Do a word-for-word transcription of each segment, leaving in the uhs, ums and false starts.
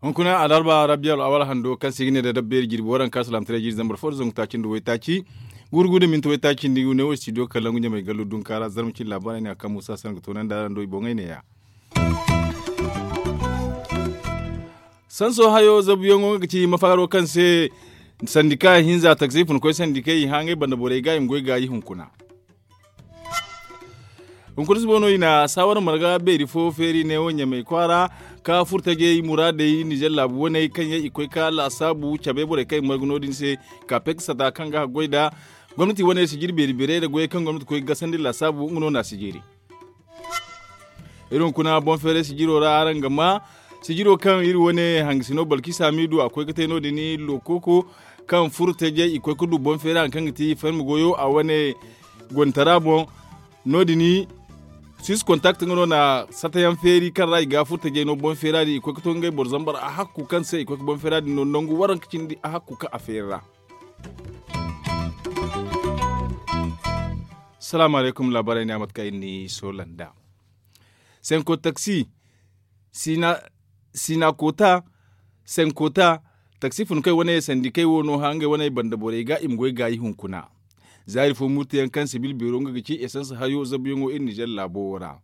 Hunkuna alarba rabiyal awal hando kaŋ se i ga ne da dabbeeri jirbi waranka salaamataray jiiri zambar fo da zangu taaci nda waytaaci, guuru guuru da minti waytaaci nda i ga ne wo studio kalangu ɲamay gallo dunka ra zarma cine laabaarey ne a kaŋ muusa sanda ga toonandi araŋ do i boŋey ne- ya. Sanso hayo zabuyaŋo nga ga ci mafaaro kaŋ se sandika hinza taksi funkoy sandikey i hã ngey banda borey ga i ma goy gaayi hunkuna. Hunkuna suba no i na saawara marga beeri fo feeri neewo ɲamay kwaara ka furtajey muraadey nizer laabu waney kaŋ yaŋ i koy ka laasaabu cabe borey kaŋ i margu no- din se. Kaapey ga sata kaŋ ga haggoy nda gomnati waney sijiri beeri beerey nda goyey kaŋ gomnati koy ga gasandi laasaabu nga no na sijiri. Iri hunkuna boŋ feeray sijiro ra araŋ ga ma sijiro kaŋ iri wane hangasino balkisa miidu a koy ga te no- din lookoko kaŋ furtajey i koy ga du boŋ feeray hari kaŋ ga ti farmi goyo a wane gontara boŋ. No- din sis kontakti nga no na satayaŋ feeri kaŋ ra i ga furtajey no boŋ feera din i koy ga to ngey boro zambar a hakku kaŋ se i koy ga boŋ feera din no nangu waranka cindi a hakku kaŋ a feeri ra. Salaamu alaykum laabaarey ne a mate kaŋ iri ni soola nd'a. Senko taksi siina koota senko ta taksi funkey wane sandikey wo no hã ngey wane banda borey ga i ma goy gaayi hunkuna. Za iri fo murtayaŋ kaŋ sibil beero nga ga ci esans hayo zabuyaŋo iri nizer laabo wo ra.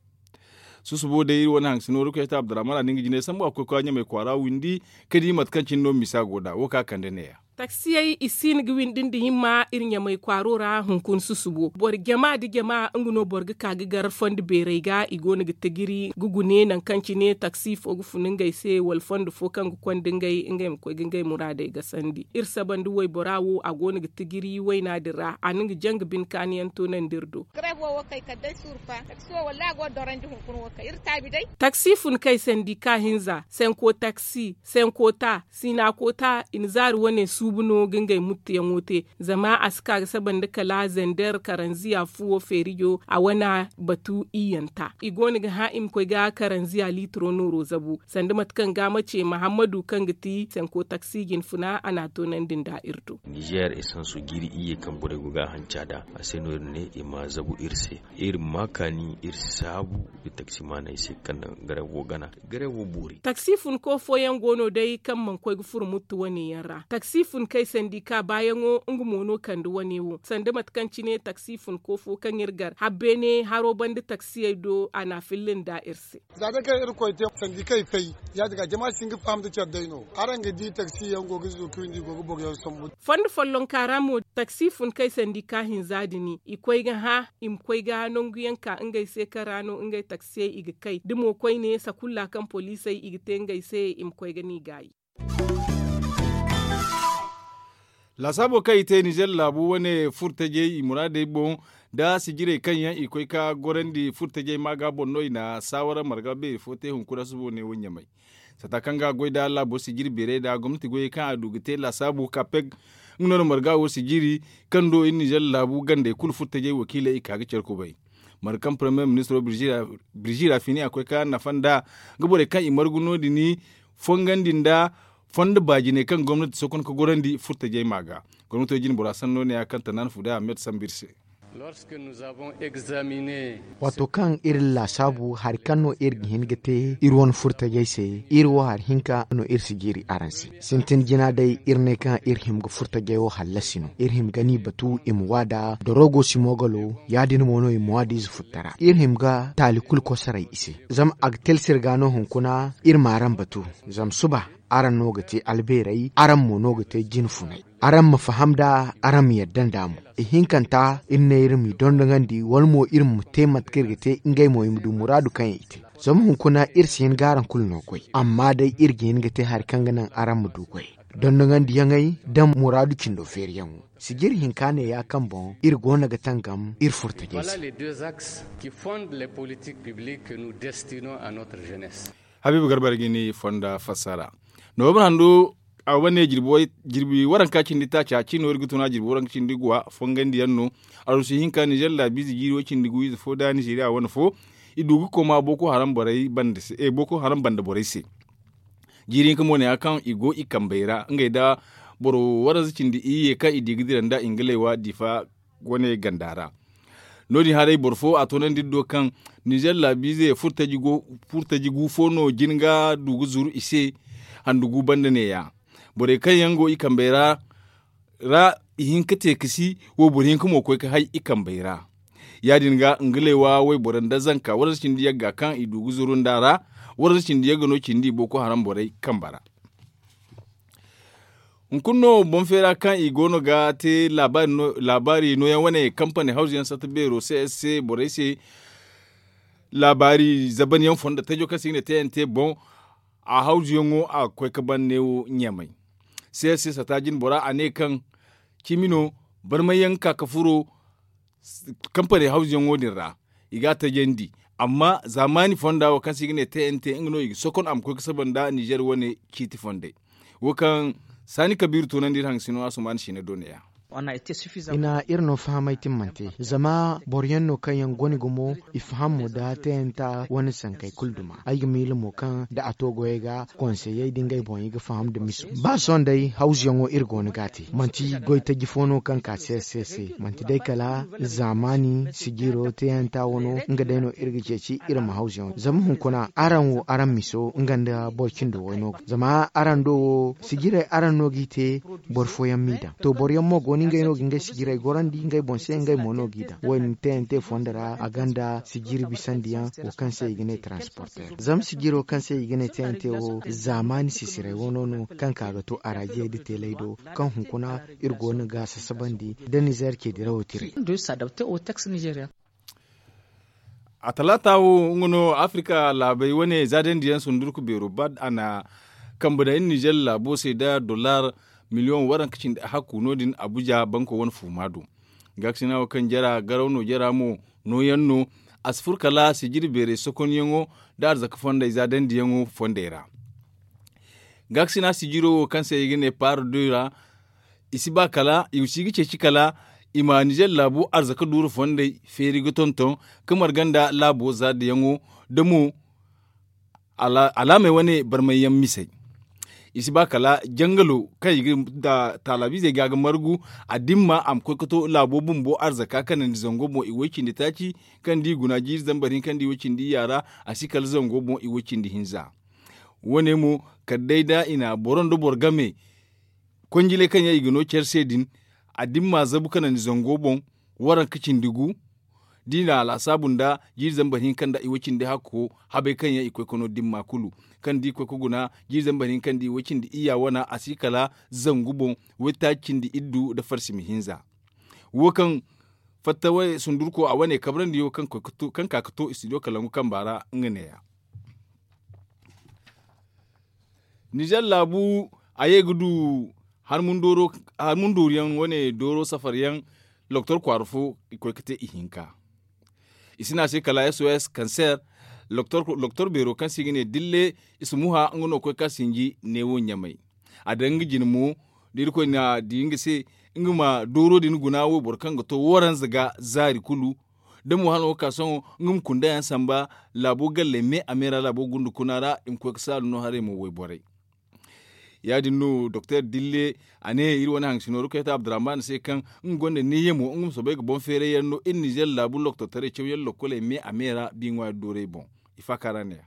Susubo day iri wane hangasino rukayta abdurrahman a na nga jinay sambu a koy kwaara windi ka di mate kaŋ cine no misa go nd'a wo kaŋ a kande neeya. Taksiyey i si hin ga windi nda himma iri ɲamay kwaaro ra hunkuna susubo boro jama nda jama nga no boro ga ka ga gar fondo beerey ga i go no ga tijiri ga gune nangu kaŋ cine taksi fo ga fun ngey se wala fondo fo kaŋ ga konda ngey ngey ma koy ga ngey muraadey gasandi iri saba nda waybora wo a go no ga tijiri wayna din ra a na nga janga bine kaani yaŋ toonandi iri do. Taksi fun kay sandika hinza senko taksi senko ta siina koota i na zaari wane suubu no ga ngey muttuyaŋo te. Zama a si ka ga saba nda kala zender karanziya fuwo feerijo a wane batu iyyanta i go no ga hã i ma koy ga karanziya liitiro nooro zabu sanda mate kaŋ ga ma ce mahammadu kaŋ ga ti senko taksi jinfuna a n'a toonandi nda iri do. Nizer esanso jiiri iyye kaŋ borey go ga a hanca nd'a a se no iri ne i ma zabu iri se. Iri ma kaani iri si saabu nda taksimaaney se kaŋ naŋ garewo gana garewo boori. Taksi funko fooyaŋ go no day kaŋ mana koy ga furo muttu wane yaŋ ra taksi funkey sandika baayaŋo nga mo no kande wane wo sanda mate kaŋ cine taksi funko fo kaŋ iri gar habbeene haro banda taksiyey do a n'a filla nda iri se. Za day kaŋ iri koy te sandikey fay ya- din ga jama si hin ga faham nda care day no araŋ ga di taksiyaŋ go ga zuuku windi i go ga boro yaŋ sambu. Fondo follonka ra mo taksi funkey sandika hinza din i koy ga hã i ma koy ga nangu yaŋ ka ngey se kaŋ ra no ngey taksiyey i ga kay da mo koyne sakulla kaŋ poliisey i ga te ngey se i ma koy ga n'i gaayi. Laasaabo kaŋ i te nizer laabu wane furtajey i muraadey boŋ nda sijirey kaŋ yaŋ i koy ka gorandi furtajey maaga boŋ no i na saawara marga beeri fo te hunkuna subo ne wo ɲamay. Sata kaŋ ga goy nda laabo sijiri beerey nda gomnati goyey kaŋ a du ga te laasaabu kapeg nga no na marga wo sijiri kaŋ do iri nizer laabu gandey kulu furtajey wakiiley i ka ga care kubay. Marga kaŋ paramiyer ministiro birzi rafini a koy ka nafa nda ga borey kaŋ i margu no- din fongandi nda fondo baajiney kaŋ gomnati sokon ka gorandi furtajey ma ga. Gomnato jine bora sanno ne ya kaŋ tanaana fuday ahmed sambu iri se. Waato kaŋ iri laasaabu hari kaŋ no iri ga hin ga te iri wane furtajey se iri wo hari hinka no iri si jiiri araŋ se. Sintin jina day iri ne kaŋ iri hima ga furtajey wo hallasi no iri hima ga ni batu i ma waada dorogo si moogalo ya- din mo no i ma waada ize futtara iri hima ga taali kulu kosoray i se. Zama a ga teelsir ga no hunkuna iri ma araŋ batu. Zama suba araŋ no ga te albeeray araŋ mo no ga te jine funay. Araŋ ma faham nda araŋ ma yadda nd'a mo. Ihinkanta iri ne iri m'i dondonandi wala mo iri ma te mate kaŋ iri ga te ngey mo i ma du muraadu kaŋ yaŋ i te. Zama hunkuna iri si hin ga araŋ kulu no goy amma day iri ga hin ga te hari kaŋ ga naŋ araŋ ma du goy. Dondongandiyaŋey nda muraadu cindo feeriyaŋo sijiri hinka ne ya kaŋ boŋ iri go no ga tangam iri furtajey se. Habiibu garba ra ga ni fonda fassara. Noobur handu a wane jirbi waranka cindi taaci a ci no iri ga tuna jirbi waranka cindi guwa fongandi yaŋ no. Arusi hinka nizer laabiize jiiri way cindi guwiize fo da nizeriya wane fo i du ga koma booko haram banda borey se. Jiiri hinka mo ne ya kaŋ i go i kambey ra ngey nda Boro waranza cindi iyye kaŋ i di ga dira nda ingaley wa difa wane ganda ra. No- din haray boro fo a toonandi iri do kaŋ nizer laabiize furtaji gu fo no jin ga du ga zuru i se. Handu gu banda neeya borey kaŋ yaŋ go i kambey ra ra i hin ga te ga si wayboro hinka mo koy ga hay i kambey ra. Ya- din ga nga leewa wayboro nda zanka waranza cindi yagga kaŋ i du ga zuru nd'a ra. Waranza cindi yagga no cindi boko haram borey kamba ra. Hunkuna no boŋ feera kaŋ i go no ga te laabaari nooyaŋ wane kampani hawzu yaŋ satta beero c s c borey se. Laabaari zaban yaŋ fondo tajo kaŋ se i ga ne t n t boŋ a hawzu yaŋo a ga koy ga ban neewo ɲamay. C s c satta jine bora a ne kaŋ cimi no barmay yaŋ ga ka ga furo kampani hawzu yaŋo din ra. I ga a tajandi amma zaamaani fonda wo kaŋ se i ga ne t n t nga no i ga sokon a ma koy ga saba nda nizer wane ciiti fondey. Wo kaŋ saani kabiiru toonandi iri hangasino asumaana siina do neeya. I na iri no fahamay timmante zama boro yaŋ no kaŋ yaŋ goni gumo i faham mo da tayanta wane sankey kulu duma ay ga miila mo kaŋ da a to goyey ga konseyey da ngey boŋ i ga faham nda miso ba sohõ day hawzuyaŋo iri go no ga a te manti goy taji fo no kaŋ ka se se se manti day kala zaamaani sijiro tayanta wano nga day no iri ga ceeci iri ma hawzuyaŋo zama hunkuna araŋ wo araŋ miso nga nda boro cindo way no ga zama araŋ do wo sijirey araŋ no g'i te boro fooyaŋ m'i daŋ to boro yaŋ mo go no ngey no ga ngey sijirey gorandi ngey boŋ se ngey mo no g'i daŋ wo- din te yaŋ te fondo ra a gonda sijiri bisandiyaŋ wo kaŋ se i ga ne taransporter zama sijiro kaŋ se i ga ne te yaŋ te wo zaamaani sisirey wano no kaŋ ka ga to araajiyey nda teeley do kaŋ hunkuna iri go no ga a sasabandi nda nizer ce dirawo tirey a talaata wo nga no afirika laabey wane zaadandi yaŋ sundurku beero bad a na kambe daŋ iri nizer laabo se nda dollar miliyoŋ waranka cindi ahakku no- din abuja banko wane fuuma do. Gaakasina wo kaŋ jara garaw no jara mo nooyaŋ no a si furo kala sijiri beerey sokonyaŋo nda arzaka fondey zaadandiyaŋo fondey ra. Gaakasina sijiro wo kaŋ se i ga ne par deux ra i si ba kala i si ga ceeci kala i ma nizer laabu arzaka duuru fondey feeri ga tonton ga marga nda laabo zaadayaŋo da mo alaamey wane barmay yaŋ misey. I si ba kala jangalo kaŋ i ga taalabiizey ga ga margu a dimma a ma koy ga to laabo bumbo arzaka kanandi zango boŋ i way cindi taaci kaŋ da i guna jiiri zambar hinka nda i way cindi iyya ra a si kala zango boŋ i way cindi hinza. Wo- ne mo kala day da i na boro nda boro game konjiley kaŋ yaŋ i ga no care se din a dimma zabu kanandi zango boŋ waranka cindi gu da i na a laasaabu nda jiiri zambar hinka nda i way cindi hakko habey kaŋ yaŋ i koy ga no dimma kulu kaŋ da i koy ga guna jiiri zambar hinka nda i way cindi iyya wana a si kala zangu boŋ waytaaci cindi iddu nda farsimi hinza. Wo kaŋ fatta sundurko a wane kabrandi wo kaŋ ka ga to i studio kalangu kamba ra nga neeya. Nizer laabu a ye ga du harmundooru yaŋ wane dooro safar yaŋ loktor kwaara fo i koy ga te i hinka. I si ne a se kala sos kanseer loktor beero kaŋ se i ga ne dille i si muha nga no ga koy ga sinji neewo ɲamay. A daŋ nga jine mo da irkoy na di nga se nga ma dooro din guna wayboro kaŋ ga to waranza ga zaari kulu da mo hano ga ka sohõ nga ma kunda yaŋ samba laabo galley me a me ra laabo gunda kuna ra i ma koy ga saalu no haray mo wayborey. Ya- din no doktor dille a ne iri wane hangasino rukayta abdurrahman se kaŋ nga gonda neeya mo nga ma soobay ga boŋ feeray yaŋ no iri nizer laabu loktortaray cawyaŋ lokkoley me a me ra bi ŋwaari doorey boŋ. I faaka ra neeya.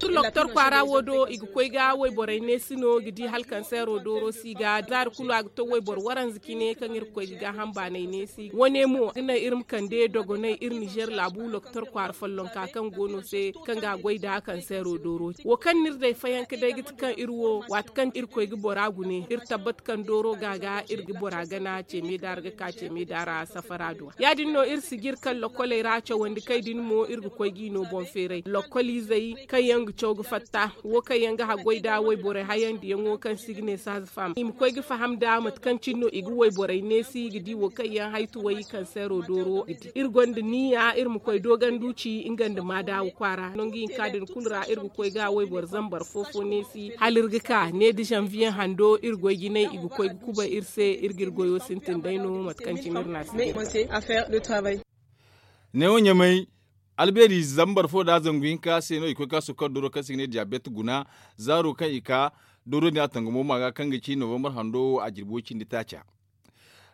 Loktor kwaara wo do i ga koy ga wayborey neesi no ga di hala kanseero dooro si ga zaari kulu a ga to wayboro waranza cine kaŋ iri ga koy ga gaaham baanay neesi wane mo ga naŋ iri ma kande dogonay iri nizer laabu loktor kwaara follonka kaŋ go no se kaŋ ga a goy nda kanseero dooro wo kaŋ no iri day fayanka day ga ti kaŋ iri wo waati kaŋ iri koy ga bora gune iri tabbat kaŋ dooro ga ga iri ga bora gana ceeme daara ga ka ceeme daara safara do ya- din no iri sijiri kaŋ lokkoley ra cawandi kay din mo iri ga koy g'i no boŋ feeray lokkoliizey kaŋ yaŋ ga caw ga fatta wo kaŋ yaŋ ga haggoy nda wayborey hayandiyaŋo kaŋ se i ga ne saazafam i ma koy ga faham nda mate kaŋ cine no i ga wayborey neesi ga di wo kaŋ yaŋ haytuwey kanseero dooro ga di iri gonda niya iri ma koy dooganduci nga nda maadaawa kwaara nangu hinka din kulu ra iri ga koy ga wayboro zambar fo fo neesi hala iri ga ka ne da zanviye hando iri goy jinay i ga koy ga kubay iri se iri ga iri goyo sintin day no mate kaŋ cine iri na a se neewo ɲamay albeeri zambar fo da zangu hinka se no i koy ga sukkar doro kaŋ se i ga ne diyabet guna zaaro kaŋ i ka dooro din a tangamo ma ga kaŋ ga ci novembar hando wo a jirbi way cindi taaca.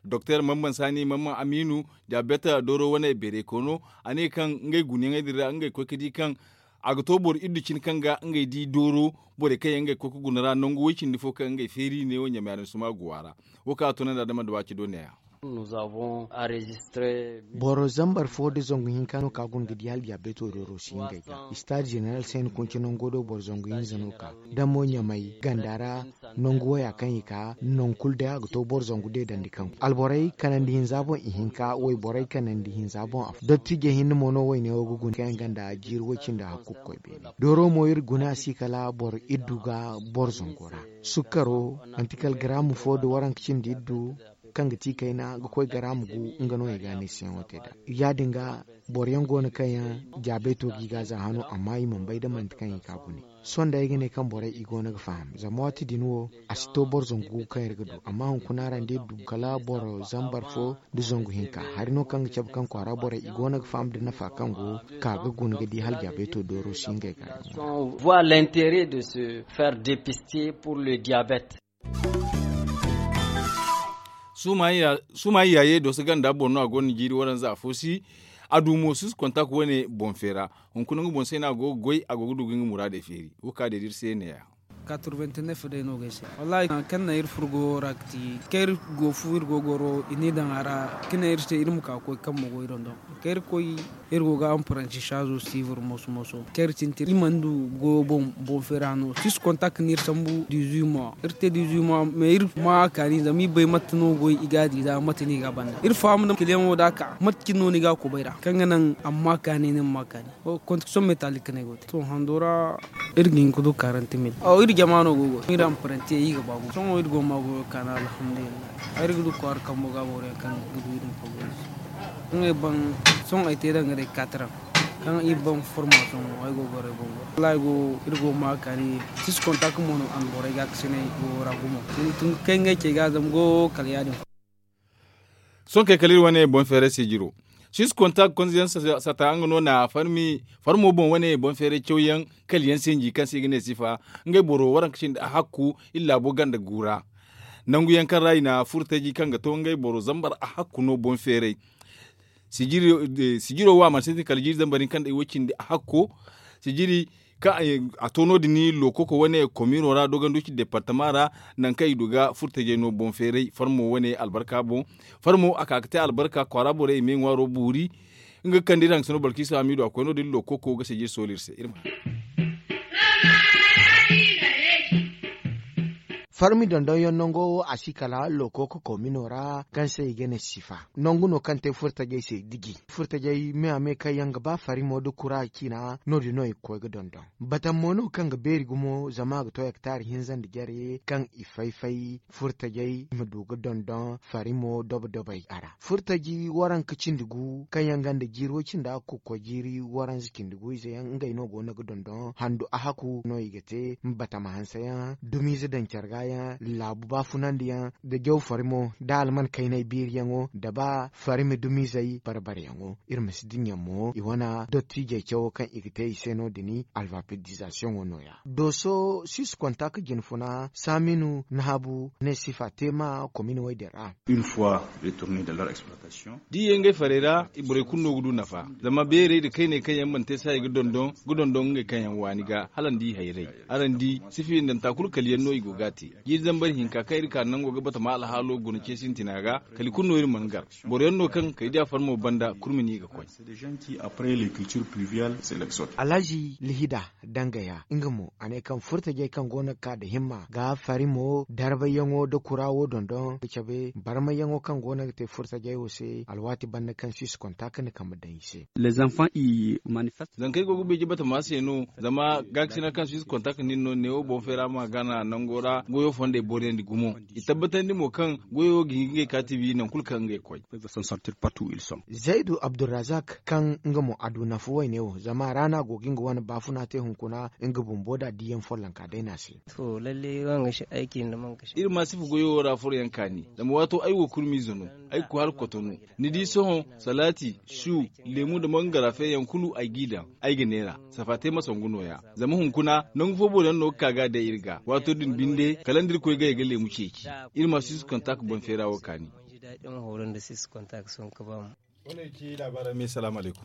Doktor mamman saani mamman amiinu, diabet dooro wane beeray koono, a ne kaŋ ngey gunayaŋey din ra ngey koy ga di kaŋ a ga to boro iddu cine kaŋ ga ngey di dooro, borey kaŋ yaŋ ngey ga koy ga guna ra nangu way cindi fo kaŋ ngey feeri ne wo ɲamay aransuma go a ra. Wo kaŋ a toonandi a dama nda waaci do neeya. Boro zambar fo nda zangu hinka no ka guna ga di hala diabeto dooro si ngey ga. Istaad jeneral se ni kunci nango do boro zangu hinza no ka. Damo ɲamay ganda ra nangu waya kaŋ i ka nangu kulu day a ga to boro zangu deedandi kaŋ alborey kanandi hinza boŋ ihinka wayborey kanandi hinza boŋ afo dottijey hinne mo no wayne wo ga guna kaŋ yaŋ ganda jiiri way cindi hakku ga koy beene. Dooro mo iri guna a si kala boro iddu ga boro zango ra. Sukkaro, manti kala garaamu fo nda waranka cindi iddu kaŋ ga ti kayna ga koy garaamu gu, nga no i ga a ne siyaŋo te nd'a. Ya- din ga boro yaŋ go no kaŋ yaŋ jaabeeto ga i ga za hano amma i mana bay da manti kaŋ i ga a gune. Sohõ day ay ga ne kaŋ borey i go no ga faham zama waati din wo a si to boro zangu gu kaŋ iri ga du amma hunkuna ra ni di iri du kala boro zambar fo nda zangu hinka. Hari no kaŋ ga cabe kaŋ kwaara borey i go no ga faham nda nafa kaŋ go ka ga guna ga di hala jaabeeto dooro si ngey ga. Voir l'intérêt de se faire dépister pour le diabète. Suumayi yaaye dooso ganda boŋ no a go no jiiri waranza afo si. A du mo susu kontak wane boŋ feera. Hunkuna nga boŋ se no a go ga goy a go ga du ga nga muraadey feeri wo ka day da iri se neeya. Katurbenteneef day no ga ay se wallaahi kaŋ naŋ iri furo goyo ra ga ti kaŋ iri go fu iri go goro i ne daŋ a ra. Ka ne iri se iri ma ka ga koy kaŋ ma goy dondoŋ kaŋ iri koy iri go ga anparansisaazo siibar moso moso kaŋ iri sintin iri mana du goyo boŋ boŋ feera no six kontak no iri sambu dizuit mois iri te dizuit mois mais iri ma a kaani zama iri bay mate no goy i ga a di za mate no i ga a banda iri faham nda kiliyaŋo da a ka mate cine no ni ga a kubay ra kaŋ ga naŋ a ma ma a kaani ni ma ma a kaani. Kontak sohõ metalik no ay go te sohõ hando ra. Iri ga hin ga du karante mil aw iri jama no go go iri anparanti yaŋ iri ga ba gumo sohõ iri go ga ma goyo kaani alhamdulillahi. Ay iri ga du kwaara kambo ga boro yaŋ kaŋ ga du iri ma ka goyo se. Ngey ban sohõ ay te danga day kataraŋ kaŋ iri ban formasoŋ mo ay go ga goro ay boŋ goro wallaahi go iri go ga ma kaani. Six kontak mo no a na borey ga kasinay goyo ra gumo. Tun ga kay ngey cey ga zama goyo kala ya- din. Sohõ kay kala iri wane boŋ feeray sijiro six kontak konziyaŋ sata nga no na farmi farmo boŋ wane boŋ feeray cawyaŋ kala yaŋ sinji kaŋ se i ga ne sifa. Ngey boro waranka cindi a hakku iri laabo ganda gu ra. Nangu yaŋ kaŋ ra i na furtaji kaŋ ga to ngey boro zambar a hakku no boŋ feeray. Sijiro wo a mana sintin kala jiiri zambar hinka nda iway cindi a hakko. Sijiri kaŋ a to no- din lookoko wane komino ra doganduci departama ra. Nangu kaŋ i du ga furtajey no boŋ feeray farmo wane albarka boŋ. Farmo a ka ga te albarka kwaara borey i ma i ŋwaaro boori. Nga ga kande iri hangasino balkiisa hamiidu a koy no- din lookoko ga sijiri sooli iri se iri ma. Farmi dondonyaŋ nango wo a si kala lookoko komino ra kaŋ se i ga ne sifa. Nangu no kaŋ te furtajey se diji furtajey me a me kaŋ yaŋ ga ba farimo nda kura ciina no- din no i ga koy ga dondon. Batam mo no kaŋ ga beeri gumo zama a ga to hektar hinza nda jare kaŋ i fay fay furtajey i ma du ga dondon farimo dobo dobey a ra furtaji waranka cindi gu kaŋ yaŋ ganda jiiri way cindi a ga koy jiiri waranza cindi gu ize yaŋ ngey no go no ga dondon handu a haku no i ga te batama hanse yaŋ dumiize daŋ care ga yaŋ laabu baafunandi yaŋ da jaw farimo da alman kaynay biiri yaŋo da ba farimi dumizey barbare yaŋo. Iri ma si dinya mo i wana dottijey cawo kaŋ i ga te i se no- din alfabetizasiyoŋo no- ya dooso six kontak jinfuna saminu nahabu ne sifa te ma komin way din ra. Da i ye ngey farey ra borey kulu no ga du nafa zama beerey nda kayney kaŋ yaŋ mana te se hari ga dondon ga dondon ngey kaŋ yaŋ waani ga hala ni di i hayray. Araŋ di sifiyaŋ danta kulu kala yaŋ no i go ga a te. Jiiri zambar hinka kaŋ iri ka nango ga batama alhaalo guna ce sintina ga kala i kulu no iri mana gar. Boro yaŋ no kaŋ kala i di a farmo banda kurmi no i ga koy. Alhazi lihida dangaya nga mo a ne kaŋ furtajey kaŋ go no ga ka nda himma ga farimo darbayyaŋo nda kura wo dondon ga cabe barmayyaŋo kaŋ go no ga te furtajey wo se alwaati banda kaŋ si si kontak ni kambe daŋ i se. Zankey go ga beeje batama se no zama gaakasina kaŋ si si kontak nin no neewo boŋ feera ma gana nango ra. Goyo fondey booriyandi gumo. I tabbatandi mo kaŋ goyo ga hin ga ngey kaati wi nangu kulu kaŋ ngey koy. Zaydu abdurrazak kaŋ nga mo a du nafa wayne wo zama raana go ga nga wane baafuna te hunkuna nga bumbo da diyaŋ follonka day no a se. Iri ma sifa goyo wo ra foroyaŋ kaani. Zama waato ay wo kurmiize no. Ay ga koy hala kotonu. Ni di sohõ, salaati, su, leemu nda mangara feeyaŋ kulu ay g'i daŋ. Ay ga neera safa te ma sangu nooya. Zama hunkuna nangu fo boro yaŋ no ga ka ga a day iri ga waato din binde kala nda iri koy ga ay ga leemu ceeci. Iri ma si si kontak boŋ feera wo kaani. Wane ci laabaara me salaamu alaykum.